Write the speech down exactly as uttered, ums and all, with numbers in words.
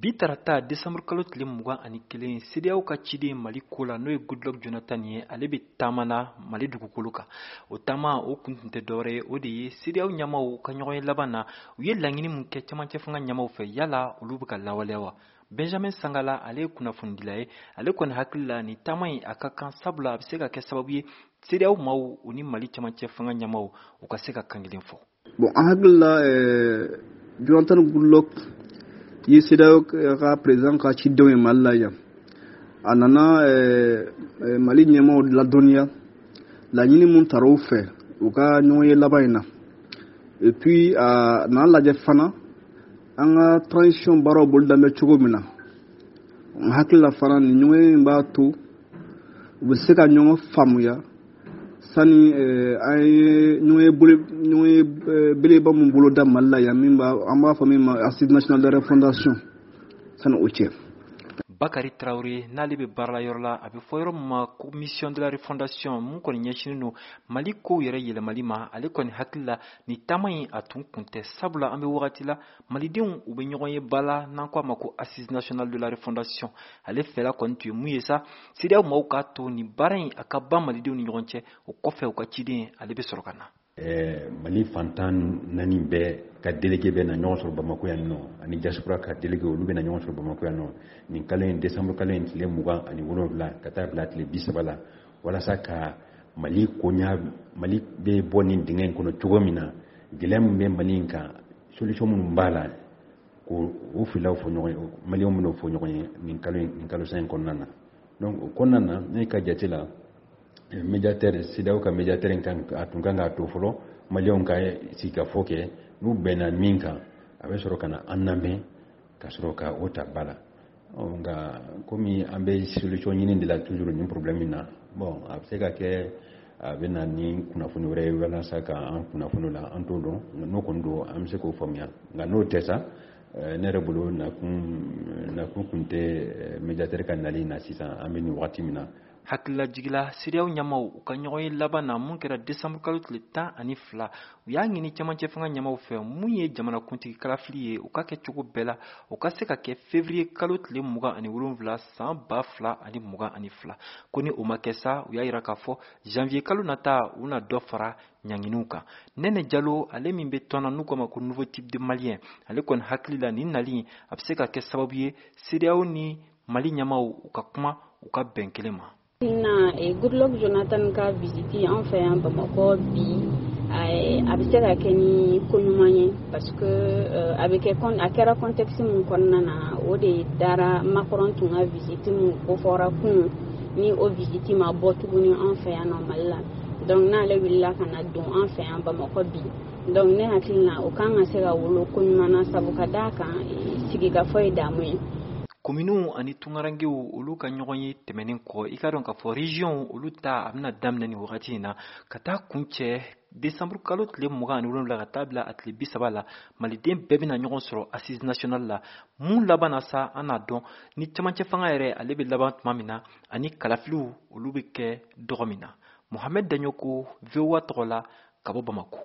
Bi tarata décembre kalo tile mugan ani kelen, CEDEAO ka ciden Mali ko la, n'o ye Goodluck Jonathan ye, ale bɛ taama na Mali dugukolo kan. O taama o kun tun tɛ dɔwɛrɛ ye, o de ye CEDEAO ɲɛmaw ka ɲɔgɔn ye laban na, u ye laɲini mun kɛ cɛmancɛ fanga ɲɛmaw fɛ, yala olu bɛ ka lawaleya wa? Benjamin Sangala, ale ye kunnafonidila ye. Ale kɔni hakili la, nin taama in a ka kan, sabula a bɛ se ka kɛ sababu ye CEDEAO maaw u ni Mali cɛmancɛ fanga ɲɛmaw u ka se ka kan kelen fɔ. Bon, an hakili la, ɛɛ Jonathan Goodluck ye CEDEAO ka président ka cidenw ye Mali la yan. A nana ɛɛ Mali ɲɛmaaw ladɔnniya laɲini mun tara u fɛ u ka ɲɔgɔn ye laban in na. Et puis a nana lajɛ fana an ka transition baaraw boloda bɛ cogo min na. N hakili la fana, nin ɲɔgɔn ye in b'a to u bɛ se ka ɲɔgɔn faamuya sani an ye ɲɔgɔn ye bolo ɲɔgɔn ye belebeleba mun boloda Mali la yan, min b'a an b'a fɔ min ma Assise nationale de refondation, sani o cɛ. Bakari Tarawele, n'ale bɛ baara la yɔrɔ la a bɛ fɔ yɔrɔ min ma ko Mission de la refondation, mun kɔni ɲɛsinnen don Mali kow yɛrɛ yɛlɛmali ma, ale kɔni hakili la, nin taama in a tun kun tɛ, sabula an bɛ wagati la malidenw u bɛ ɲɔgɔn ye ba la n'an ko a ma ko Assise nationale de la refondation. Ale fɛla kɔni tun ye mun ye sa, CEDEAO maaw k'a to nin baara in a ka ban malidenw ni ɲɔgɔn cɛ, o kɔfɛ u ka ciden ale bɛ sɔrɔ ka na. Eh, mali fantan naani bɛɛ ka délégué bɛ na ɲɔgɔn sɔrɔ Bamako yan nɔ, ani diaspora ka délégué, olu bɛ na ɲɔgɔn sɔrɔ Bamako yan nɔ nin kalo in, décembre kalo in tile mugan ani wolonwula ka taa bila tile bi saba la, walasa ka Mali koɲa, Mali bɛ bɔ nin dingɛ in kɔnɔ cogo min na, gɛlɛya min bɛ Mali in kan, solution minnu b'a la, k'o o filaw fɔ ɲɔgɔn ye. Maliyɛnw bɛn'o fɔ ɲɔgɔn ye nin kalo in, nin kalo san in kɔnɔna na. Donc o kɔnɔna na, ne ka jate la, médiateur, CEDEAO ka médiateur in kan, a tun kan k'a to fɔlɔ maliyɛnw ka sigikafɔ kɛ. N'u bɛnna min kan, a bɛ sɔrɔ ka na an lamɛn ka sɔrɔ ka o ta ba la. Nka komi an bɛ solution ɲini de la toujours nin problème in na, bon, a bɛ se ka kɛ a bɛ na ni kunnafoni wɛrɛ ye walasa ka an kunnafoni la, an t'o dɔn. N'o kɔni don, an bɛ se k'o faamuya. Nka n'o tɛ sa, ne yɛrɛ bolo, nakun nakun kun tɛ médiateur ka nali na sisan, an bɛ nin wagati min na. Hakililajigila, CEDEAO ɲɛmaw u ka ɲɔgɔn ye laban na mun kɛra décembre kalo tile tan ani fila, u y'a ɲini cɛmancɛ fanga ɲɛmaw fɛ, mun ye jamanakuntigi kalafili ye, u ka kɛ cogo bɛɛ la u ka se ka kɛ février kalo tile mugan ani wolonwula san ba fila ani mugan ani fila. Ko ni o ma kɛ sa, u y'a yira k'a fɔ janvier kalo nata, u na dɔ fara ɲanginiw kan. Nɛnɛ Jalo, ale min bɛ tɔn na n'u k'a ma ko Nouveau type de Malien, ale kɔni hakili la, nin nali a bɛ se ka kɛ sababu ye CEDEAO ni Mali ɲɛmaw u ka kuma, u ka bɛn kelen ma. Na Goodluck Jonathan ka visite an fɛ yan Bamakɔ bi, a bɛ se ka kɛ ni ko ɲuman ye, parce que a bɛ kɛ, a kɛra contexte min kɔnɔna na, o de dara Macron tun ka visite mun kofɔra kunun, ni o visite ma bɔ tuguni an fɛ yan nɔ Mali la. Donc n'ale wulila ka na don an fɛ yan Bamakɔ bi, donc ne hakili la, o kan ka se ka wolo ko ɲuman na, sabu ka d'a kan sigikafɔ ye damu ye. Kominiw ani tungarankew, olu ka ɲɔgɔn ye tɛmɛnen kɔ, i ka dɔn k'a fɔ région olu ta a bɛna daminɛ nin wagati in na ka taa kuncɛ décembre kalo tile mugan ani wolonwula ka taa bila a tile bi saba la. Maliden bɛɛ bɛna ɲɔgɔn sɔrɔ Assise nationale la. Mun laban na sa, an n'a dɔn ni cɛmancɛ fanga yɛrɛ ale bɛ laban tuma min na, ani kalafiliw olu bɛ kɛ dɔgɔ min na. Mohamed Daɲoko, V O A tɔgɔ la, ka bɔ Bamako.